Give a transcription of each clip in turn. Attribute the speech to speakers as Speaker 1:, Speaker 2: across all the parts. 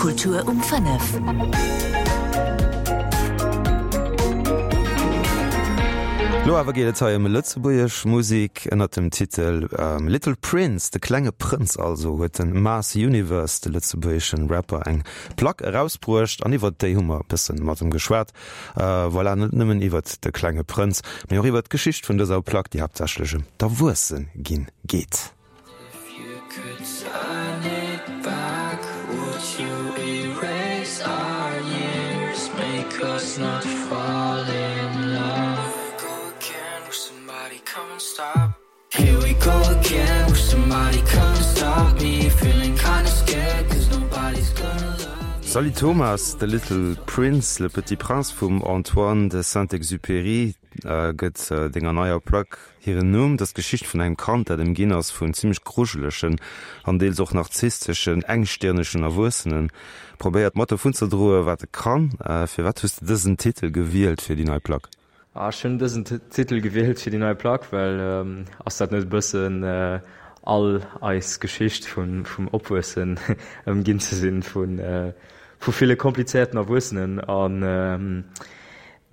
Speaker 1: Kultur um 5.
Speaker 2: Lo awer geet et hei ëm lëtzebuergesch Musek ënnert dem Titel Little Prince, de klenge Prënz also, huet de Mars Universe, de lëtzebuergeschen Rapper, eng Plack erausbruecht an iwwert déi hu mer e bëssen mat em geschwat. Voilà, net nëmmen iwwert de klenge Prënz, mee och iwwert d'Geschicht vun dëser Plack, déi haaptsächlech ëm d'Erwuesse ginn geet. Salut Thomas, The Little Prince, Le Petit Prince vum Antoine de Saint-Exupéry gëtt denger neier Plack hiren Numm. Dat ass d'Geschicht vun engem Kand, dat ëmginn ass vun zimmlech grujelegen an deels och narzissteschen, engstirnegen Erwuessenen. Probéiert mat dovun ze droen, wat e kann. Firwat hues de dësen Titel gewielt fir déi nei Plack?
Speaker 3: Ech hunn dësen Titel gewielt fir déi nei Plack, well ass dat net e bëssen all eis Geschicht vum Opwuessen, ëmginn ze sinn vu ville komplizéierten Erwuessenen an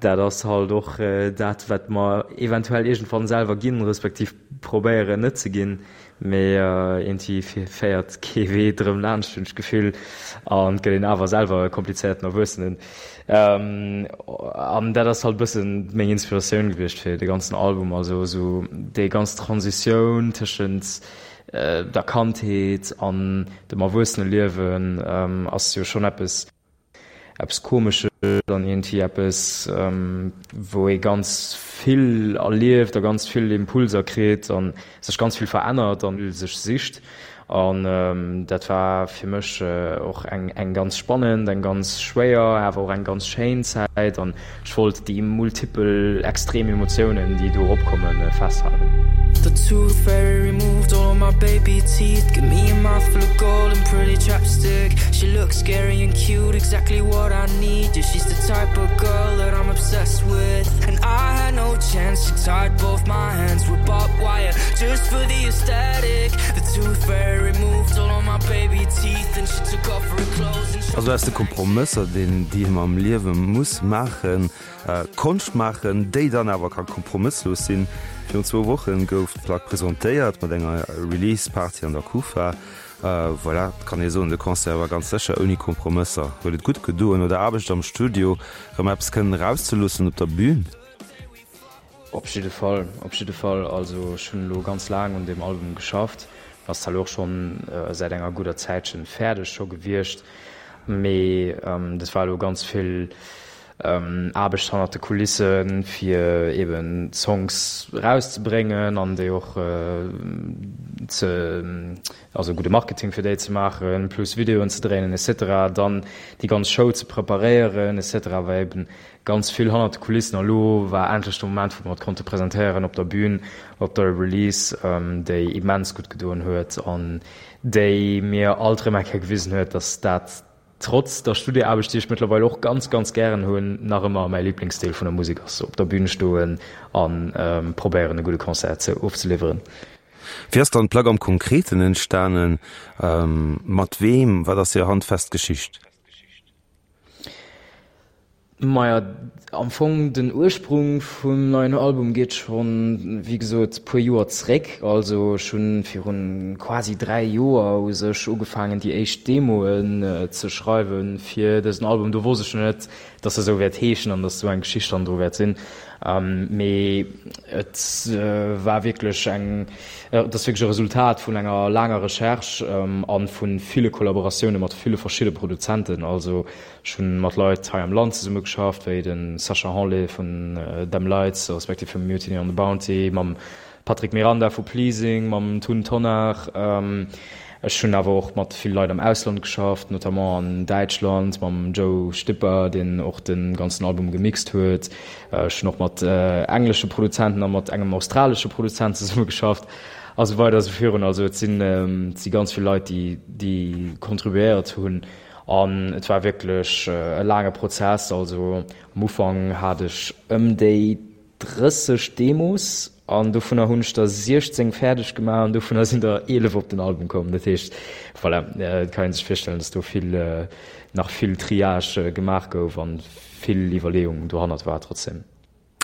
Speaker 3: dat ass halt och dat wat mer eventuell iergendwann selwer ginn, respektiv probéieren net ze ginn. Mee iergendwéi féiert kee Wee drëm laanscht, hunn ech d'Gefill, an et gëtt een awer selwer e komplizéierten Erwuessenen. An dat ass halt e bëssen meng Inspiratioun gewiescht fir de ganzen Album, also esou déi ganz Transitioun tëschent der Kandheet an dem Erwuesseneliewen ass jo schonn eppes, eppes Komesches an iergendwéi eppes, wou ee ganz vill erlieft a ganz vill Impulser kritt a sech ganz vill verännert a sech sicht. An dat war fir mech och eng eng ganz spannend, eng ganz schwéier, awer och eng ganz schéin Zäit an ech wollt déi multipel extrem Emotiounen, déi do eropkommen, festhalen. The tooth fairy removed all of my baby teeth Give me a mouthful of gold and pretty chapstick She looks scary and cute, exactly what I need Yeah, she's the type of girl that I'm obsessed with And I had no chance, she tied both my hands with barbed wire Just for the aesthetic The tooth fairy removed all of my baby teeth And she took off her clothes and
Speaker 2: Also aus de Kompromësser, deen déi een am Liewe muss maachen, Konscht maachen, déi dann awer ka kompromësslos sinn. Virun zwou Wochen gouf d'Plack presentéiert mat enger Release Party an der Kufa. Voilà, et kann ee soen, de Concert war ganz sécher ouni Kompromësser. Huet et gutt gedoen, no der Aarbecht am Studio rëm eppes kënnen erauszeloossen op der Bühn?
Speaker 3: Op jidde Fall, op jidde Fall. Also ech hunn elo ganz laang un deem Album geschafft. En ass zwar elo och schonn säit enger gudder Zäitchen fäerdeg scho gewiescht, mee dat war elo ganz vill Aarbecht hannert de Kulissen, fir eben d'Songs erauszebréngen an déi och ze, also gudde Marketing fir déi ze maachen, plus Videoen ze dréinen et cetera. Dann déi ganz Show ze preparéieren et cetera war eben Ganz vill hannert de Kulissen a lo war endlech de Moment, wou mer et konnte presentéieren op der Bühn, op der Release, déi immens gutt gedoen huet an déi mir alt erëm eng Kéier gewisen huet, dass dat trotz der Studioaarbecht, déi ech mëttlerweil och ganz, ganz gären hunn, nach ëmmer mäi Liblingsdeel vun der Musek ass, op der Bühn stoen a probéieren e gudde Concert ze ofzeliwweren.
Speaker 2: Wéi ass dann d'Plack am Konkreten entstanen? Mat weem? Wat ass hir handfest Geschicht?
Speaker 3: Maja, am Fong den Ursprung vum neien Album geet schonn, wéi gesot, puer Joer zréck. Also ech hunn virun quasi 3 Joer u sech ugefaangen déi éischt Demoen ze schreiwen fir dësen Album. Do wosst ech nach net, dass e sou wäert heeschen an dass sou eng Geschicht hannendru wäert sinn. Mee et war wierklech eng, et ass wierklech e Resultat vun enger laanger Recherche an vu ville Kollaboratioune mat ville verschidde Produzenten. Also Ech hunn mat Leit hei am Land zesumme geschafft, wéi de Sacha Hanlé vun Them Lights, respektiv vum Mutiny on the Bounty, mam Patrick Miranda vu Pleasing, mam Tun Tonnar. Ech hunn awer och mat vill Leit am Ausland geschafft, notamment an Däitschland mam Joe Stipper, deen och de ganzen Album gemixt huet. Ech hunn och mat englesche Produzenten a mat engem australesche Produzent zesumme geschafft a sou weider a sou virun. Also et sinn, et si ganz vill Leit, déi, déi contribuéiert hunn. An et war wierklech e laange Prozess. Also am Ufank hat ech ëm déi 30 Demos. An dovunner hunn ech der 16 fäerdeg gemaach an dovunner sinn der 11 op den Album komm. Dat heescht, voilà, et kann ee sech virstellen, datt do vill, nach vill Triage gemaach gouf an vill Iwwerleeung dohannert war trotzdem.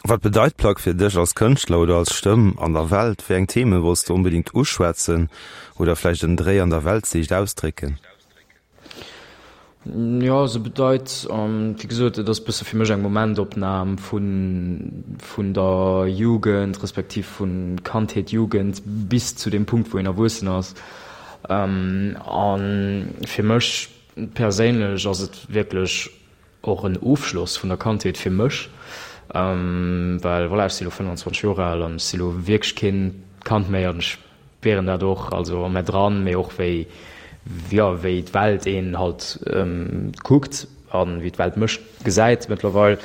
Speaker 2: Wat bedeit d'Plack fir dech als Kënschtler oder als Stëmm an der Welt? Wéi eng Theme wolls de onbedéngt uschwätzen oder vläicht en Dréi an der Weltsiicht ausdrécken?
Speaker 3: Jo, se bedeit, wéi gesot, et ass e bësse fir mech eng Momentopnam vun, vun der Jugend, respektiv vu Kandheet, Jugend bis zu deem Punkt, wou een erwuessen ass. A fir mech perséinlech ass et wierklech och en Ofschloss vun der Kandheet fir mech, well voilà, ech si lo 25 Joer al an ech si lo wierklech keen Kand méi an ech Spieren dat och, also a mär dran, mee och wéi, jo, wéi d'Welt een halt kuckt a wéi d'Welt mech gesäit mëttlerweil.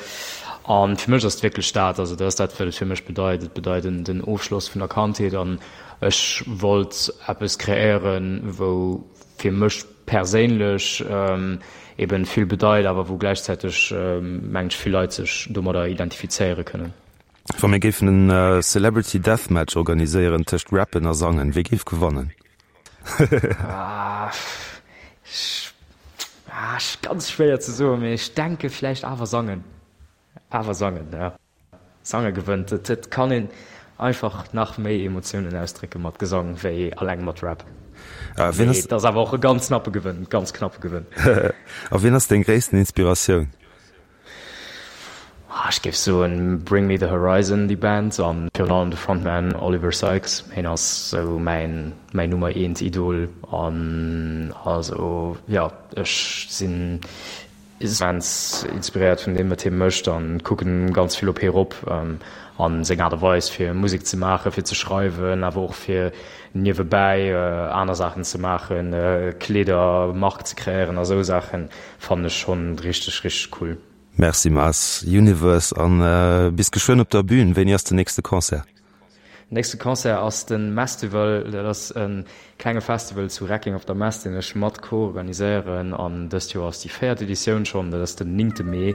Speaker 3: A fir mech ass et wierklech dat, also dat ass dat, wat et fir mech bedeit. Et bedeit den Ofschloss vun der Kandheet an ech wollt eppes kreéieren, wou fir mech perséinlech eben vill bedeit, awer wou gläichzäiteg, mengen ech, vill Leit sech domadder identifizéiere kënnen.
Speaker 2: Wa mir géifen en Celebrity Deathmatch organiséieren tëscht Rappen a Sangen, wie géif gewannen?
Speaker 3: Ganz schwéier ze soen, mee ech denke vläicht awer Sangen. Awer Sangen, jo. Sange gewënnt. Et kann een einfach nach méi Emotiounen ausdrécke mat Gesang wéi alleng mat Rap. Mee et ass awer och e ganz knappe Gewënn, ganz knappe Gewënn.
Speaker 2: A wien ass deng gréissten Inspiratioun?
Speaker 3: Ech géif soen Bring Me The Horizon, déi Band, an virun allem de Frontman Oliver Sykes. Hien ass sou mäin mäin Nummer eent Idol an also jo, ech sinn immens inspiréiert vun deem wat hie mécht an kucken ganz vill op hie rop an seng Aart a Weis fir Musek ze maachen, fir ze schreiwen, awer och fir niewebäi aner Saachen ze maachen, Kleedermark ze kreéieren a sou Saachen. Fannen ech schon richteg richteg cool.
Speaker 2: Merci Mars Universe an bis geschwënn op der Bühn. Wéini ass den nächste Concert?
Speaker 3: Den nächste Concert ass den Mestival. Dat ass e klenge Festival zu Recking op der Mess, deen ech mat co-organiséieren an dëst Joer ass déi véiert Editioun schonn. Dat ass den néngte Mee.